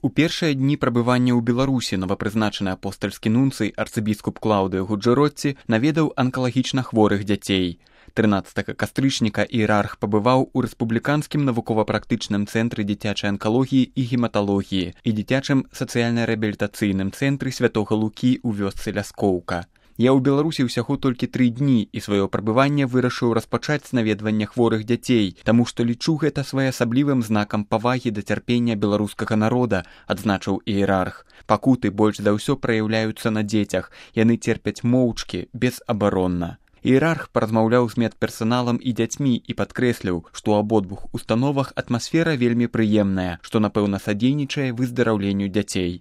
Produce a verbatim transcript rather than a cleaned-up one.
У першыя дні прабывання ў Беларусі новапрызначаны апостальскі нунцый арцыбіскуп Клаўдыё Гуджэротці наведаў анкалагічна хворых дзяцей. трынаццатага кастрычніка іерарх пабываў у рэспубліканскім навукова-практычным цэнтры дзіцячай анкалогіі і гематалогіі і дзіцячым сацыяльна-рэабілітацыйным цэнтры святога Лукі ў вёсцы Ляскоўка. Я ў Беларусі ўсяго толькі тры дні і сваё прабыванне вырашыў распачаць з наведвання хворых дзяцей, таму што лічу гэта своеасаблівым знакам павагі да цярпення беларускага народа, адзначыў іерарх. Пакуты больш за ўсё праяўляюцца на дзецях, яны церпяць моўчкі, безабаронна. Іерарх паразмаўляў з медперсаналам і дзяцьмі і падкрэсліў, што ў абодвух установах атмасфера вельмі прыемная, што, напэўна, садзейнічае выздараўленню дзяцей.